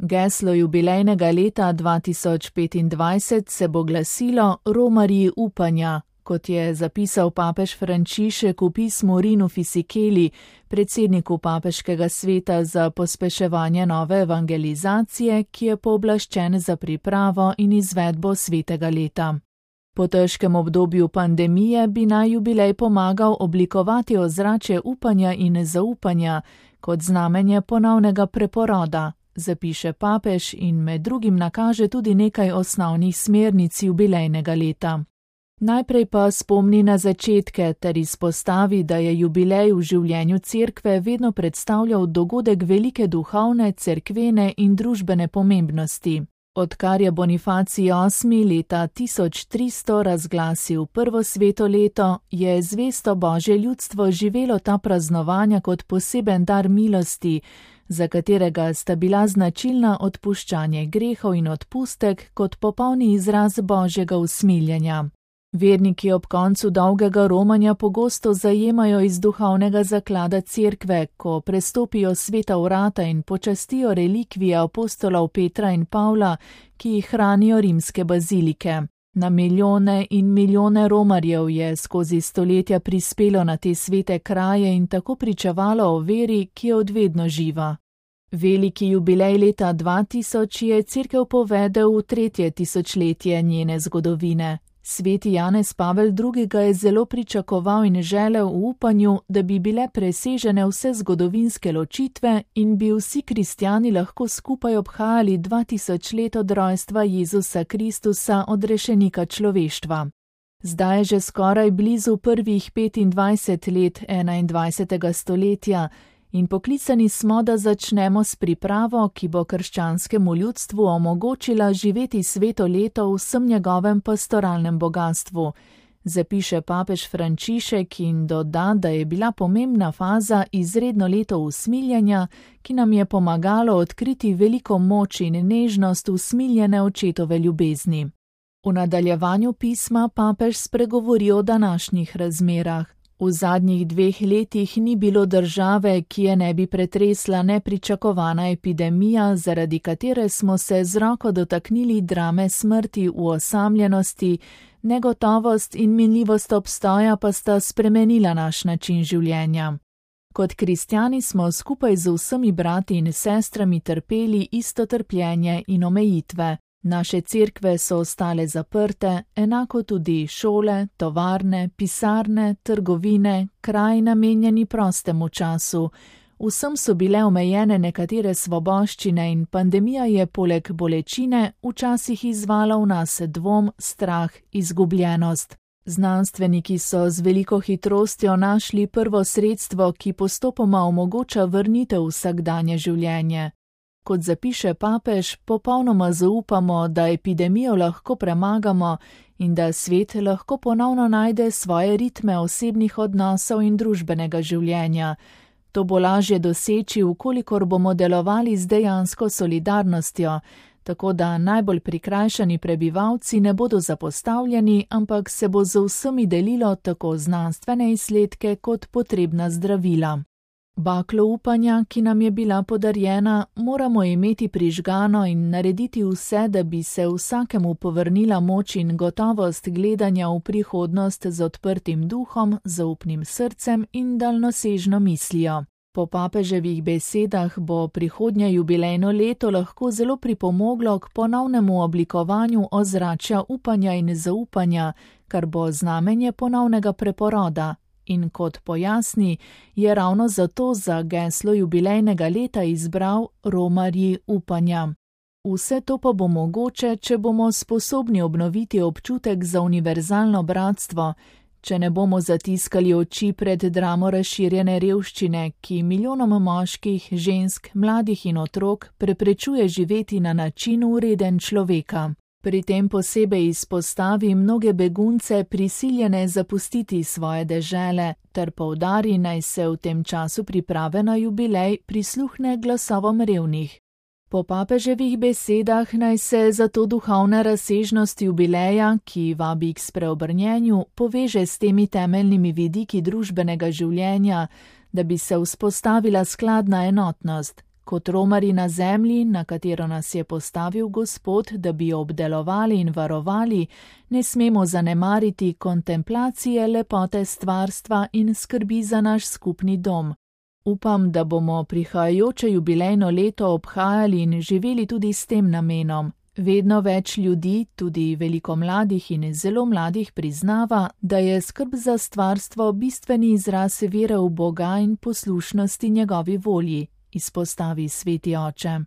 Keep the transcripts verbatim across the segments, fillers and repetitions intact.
Geslo jubilejnega leta dva tisoč petindvajset se bo glasilo Romarji upanja, kot je zapisal papež Frančišek v pismu Rinu Fisicheli, predsedniku papeškega sveta za pospeševanje nove evangelizacije, ki je pooblaščen za pripravo in izvedbo svetega leta. Po težkem obdobju pandemije bi naj jubilej pomagal oblikovati ozračje upanja in zaupanja kot znamenje ponovnega preporoda, zapiše papež in med drugim nakaže tudi nekaj osnovnih smernic jubilejnega leta. Najprej pa spomni na začetke ter izpostavi, da je jubilej v življenju cerkve vedno predstavljal dogodek velike duhovne, cerkvene in družbene pomembnosti. Odkar je Bonifacij osmi leta tisoč tristo razglasil prvo sveto leto, je zvesto Božje ljudstvo živelo ta praznovanja kot poseben dar milosti, za katerega sta bila značilna odpuščanje grehov in odpustek kot popolni izraz Božjega usmiljenja. Verniki ob koncu dolgega romanja pogosto zajemajo iz duhovnega zaklada cerkve, ko prestopijo sveta vrata in počastijo relikvije apostolov Petra in Pavla, ki jih hranijo rimske bazilike. Na milijone in milijone romarjev je skozi stoletja prispelo na te svete kraje in tako pričevalo o veri, ki je odvedno živa. Veliki jubilej leta dva tisoč je cerkev povedel v tretje tisočletje njene zgodovine. Sveti Janez Pavel drugi. ga je zelo pričakoval in želel v upanju, da bi bile presežene vse zgodovinske ločitve in bi vsi kristjani lahko skupaj obhajali dva tisoč let od rojstva Jezusa Kristusa, odrešenika človeštva. Zdaj je že skoraj blizu prvih petindvajset let enaindvajsetega stoletja in poklicani smo, da začnemo s pripravo, ki bo krščanskemu ljudstvu omogočila živeti sveto leto v vsem njegovem pastoralnem bogatstvu, zapiše papež Frančišek in doda, da je bila pomembna faza izredno leto usmiljenja, ki nam je pomagalo odkriti veliko moč in nežnost usmiljene očetove ljubezni. V nadaljevanju pisma papež spregovori o današnjih razmerah. V zadnjih dveh letih ni bilo države, ki je ne bi pretresla nepričakovana epidemija, zaradi katere smo se z roko dotaknili drame smrti v osamljenosti, negotovost in minljivost obstoja pa sta spremenila naš način življenja. Kot kristjani smo skupaj z vsemi brati in sestrami trpeli isto trpljenje in omejitve. Naše cerkve so ostale zaprte, enako tudi šole, tovarne, pisarne, trgovine, kraji namenjeni prostemu času. Vsem so bile omejene nekatere svoboščine in pandemija je poleg bolečine včasih izvala v nas dvom, strah, izgubljenost. Znanstveniki so z veliko hitrostjo našli prvo sredstvo, ki postopoma omogoča vrnitev v vsakdanje življenje. Kot zapiše papež, popolnoma zaupamo, da epidemijo lahko premagamo in da svet lahko ponovno najde svoje ritme osebnih odnosov in družbenega življenja. To bo lažje doseči, vkolikor bomo delovali z dejansko solidarnostjo, tako da najbolj prikrajšani prebivalci ne bodo zapostavljeni, ampak se bo z vsemi delilo tako znanstvene izsledke kot potrebna zdravila. Baklo upanja, ki nam je bila podarjena, moramo imeti prižgano in narediti vse, da bi se vsakemu povrnila moč in gotovost gledanja v prihodnost z odprtim duhom, zaupnim srcem in daljnosežno mislijo. Po papeževih besedah bo prihodnje jubilejno leto lahko zelo pripomoglo k ponovnemu oblikovanju ozračja upanja in zaupanja, kar bo znamenje ponovnega preporoda. In kot pojasni, je ravno zato za geslo jubilejnega leta izbral Romarji upanja. Vse to pa bo mogoče, če bomo sposobni obnoviti občutek za univerzalno bratstvo, če ne bomo zatiskali oči pred dramo razširjene revščine, ki milijonom moških, žensk, mladih in otrok preprečuje živeti na način vreden človeka. Pri tem posebej izpostavi mnoge begunce prisiljene zapustiti svoje dežele, ter poudari, naj se v tem času priprave na jubilej prisluhne glasovom revnih. Po papeževih besedah naj se zato duhovna razsežnost jubileja, ki vabi k spreobrnjenju, poveže s temi temeljnimi vidiki družbenega življenja, da bi se vzpostavila skladna enotnost, kot romari na zemlji, na katero nas je postavil Gospod, da bi jo obdelovali in varovali, ne smemo zanemariti kontemplacije lepote stvarstva in skrbi za naš skupni dom. Upam, da bomo prihajajoče jubilejno leto obhajali in živeli tudi s tem namenom. Vedno več ljudi, tudi veliko mladih in zelo mladih, priznava, da je skrb za stvarstvo bistveni izraz vere v Boga in poslušnosti njegovi volji, izpostavi sveti oče.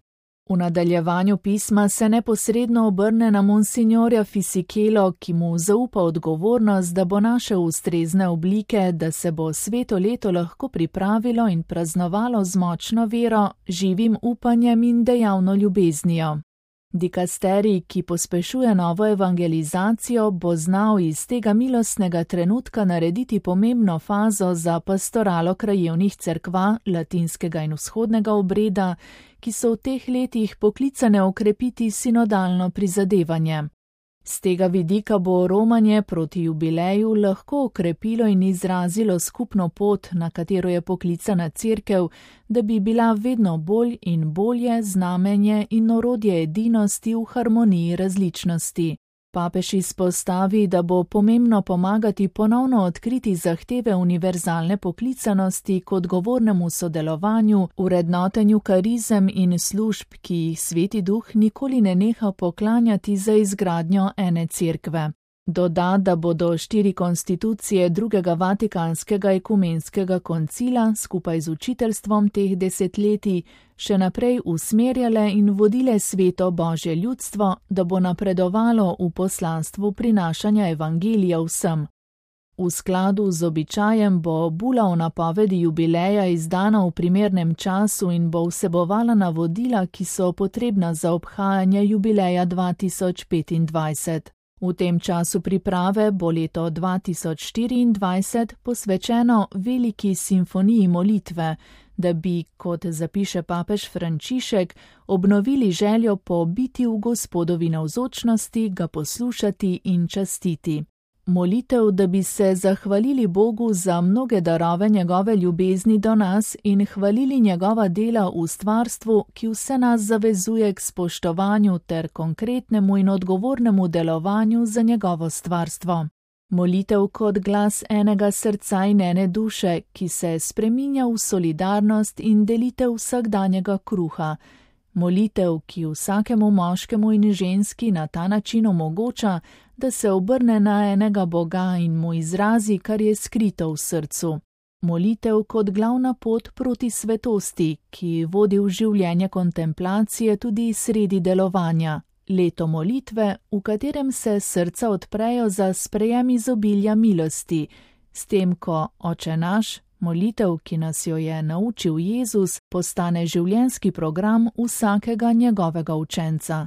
V nadaljevanju pisma se neposredno obrne na monsinjorja Fisikelo, ki mu zaupa odgovornost, da bo našel ustrezne oblike, da se bo sveto leto lahko pripravilo in praznovalo z močno vero, živim upanjem in dejavno ljubeznijo. Dikasterij, ki pospešuje novo evangelizacijo, bo znal iz tega milostnega trenutka narediti pomembno fazo za pastoralo krajevnih cerkva, latinskega in vzhodnega obreda, ki so v teh letih poklicane okrepiti sinodalno prizadevanje. Z tega vidika bo romanje proti jubileju lahko okrepilo in izrazilo skupno pot, na katero je poklicana cerkev, da bi bila vedno bolj in bolje znamenje in orodje edinosti v harmoniji različnosti. Papež izpostavi, da bo pomembno pomagati ponovno odkriti zahteve univerzalne poklicanosti k odgovornemu sodelovanju, vrednotenju karizem in služb, ki jih Sveti Duh nikoli ne neha poklanjati za izgradnjo ene cerkve. Doda, da bodo štiri konstitucije drugega vatikanskega ekumenskega koncila skupaj z učiteljstvom teh desetletij še naprej usmerjale in vodile sveto Božje ljudstvo, da bo napredovalo v poslanstvu prinašanja evangelija vsem. V skladu z običajem bo bula o napovedi jubileja izdana v primernem času in bo vsebovala navodila, ki so potrebna za obhajanje jubileja dva tisoč petindvajset. V tem času priprave bo leto dva tisoč štiriindvajset posvečeno veliki simfoniji molitve, da bi, kot zapiše papež Frančišek, obnovili željo po biti v Gospodovi navzočnosti, ga poslušati in častiti. Molitev, da bi se zahvalili Bogu za mnoge darove njegove ljubezni do nas in hvalili njegova dela v stvarstvu, ki vse nas zavezuje k spoštovanju ter konkretnemu in odgovornemu delovanju za njegovo stvarstvo. Molitev kot glas enega srca in ene duše, ki se spreminja v solidarnost in delitev vsakdanjega kruha. Molitev, ki vsakemu moškemu in ženski na ta način omogoča, da se obrne na enega Boga in mu izrazi, kar je skrito v srcu. Molitev kot glavna pot proti svetosti, ki vodi v življenje kontemplacije tudi sredi delovanja. Leto molitve, v katerem se srca odprejo za sprejem izobilja milosti, s tem, ko Oče naš, molitev, ki nas jo je naučil Jezus, postane življenjski program vsakega njegovega učenca.